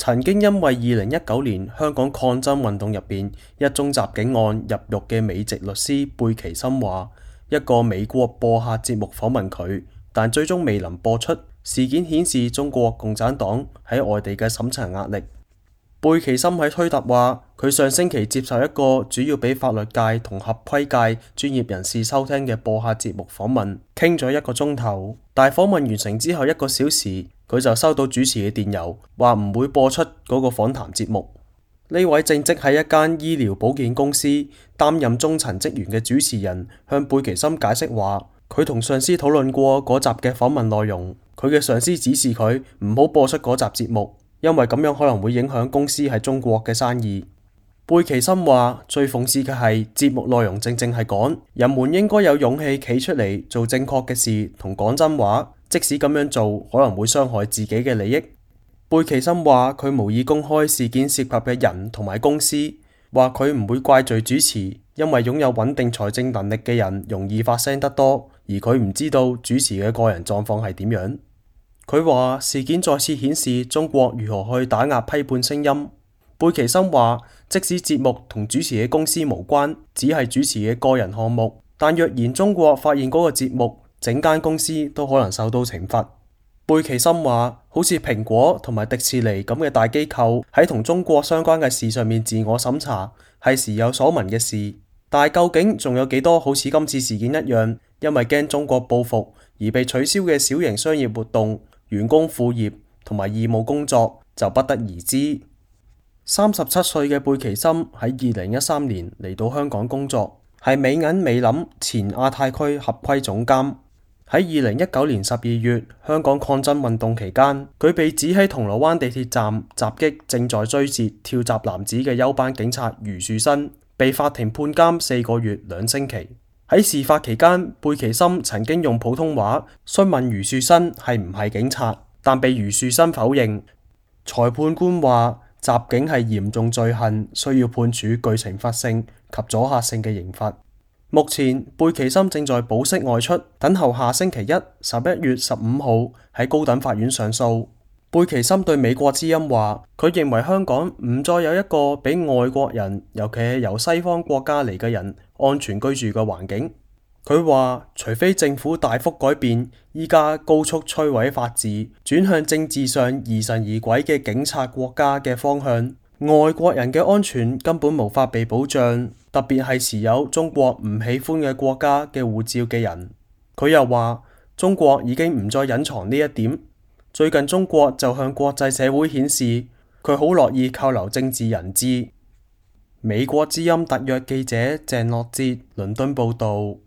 曾經因為2019年香港抗爭運動入邊一宗襲警案入獄嘅美籍律師貝奇森話，一個美國播客節目訪問佢，但最終未能播出。事件顯示中國共產黨喺外地嘅審查壓力。貝奇森喺推特話，佢上星期接受一個主要俾法律界同合規界專業人士收聽嘅播客節目訪問，傾咗1個鐘頭。但係訪問完成之後1個小時，佢就收到主持嘅電郵，話唔會播出嗰個訪談節目。呢位正職喺一間醫療保健公司擔任中層職員嘅主持人向貝奇森解釋話，佢同上司討論過嗰集嘅訪問內容，佢嘅上司指示佢唔好播出嗰集節目，因為咁樣可能會影響公司喺中國嘅生意。貝奇森話，最諷刺嘅係節目內容正係講人們應該有勇氣企出嚟做正確嘅事同講真話，即使咁樣做可能會傷害自己嘅利益。貝奇森話，佢無意公開事件涉及嘅人同埋公司，話佢唔會怪罪主持，因為擁有穩定財政能力嘅人容易發聲得多，而佢唔知道主持嘅個人狀況係點樣。佢話事件再次顯示中國如何去打壓批判聲音。貝奇森話，即使節目同主持嘅公司無關，只係主持嘅個人項目，但若然中國發現嗰個節目，整間公司都可能受到懲罰。貝奇森話，好似蘋果同埋迪士尼咁嘅大機構喺同中國相關嘅事上面自我審查，係時有所聞嘅事。但係究竟仲有幾多好似今次事件一樣，因為驚中國報復而被取消嘅小型商業活動、員工副業同埋義務工作，就不得而知。37歲嘅貝奇森喺2013年嚟到香港工作，係美銀美林前亞太區合規總監。喺2019年12月香港抗爭運動期間，佢被指喺銅鑼灣地鐵站襲擊正在追截跳閘男子嘅休班警察余樹新，被法庭判監4個月2星期。喺事發期間，貝奇森曾經用普通話詢問余樹新係唔係警察，但被余樹新否認。裁判官話，襲警係嚴重罪行，需要判處具懲罰性及阻嚇性嘅刑罰。目前貝奇森正在保釋外出，等候下星期1 11月15號喺高等法院上訴。貝奇森對美國之音話，佢認為香港唔再有一個俾外國人，尤其係由西方國家嚟嘅人安全居住嘅環境。佢話，除非政府大幅改變依家高速摧毀法治，轉向政治上疑神疑鬼嘅警察國家嘅方向，外國人嘅安全根本無法被保障，特別係持有中國唔喜歡嘅國家嘅護照嘅人。佢又話，中國已經唔再隱藏呢一點。最近中國就向國際社會顯示，佢好樂意扣留政治人質。美國之音特約記者鄭樂哲倫敦報導。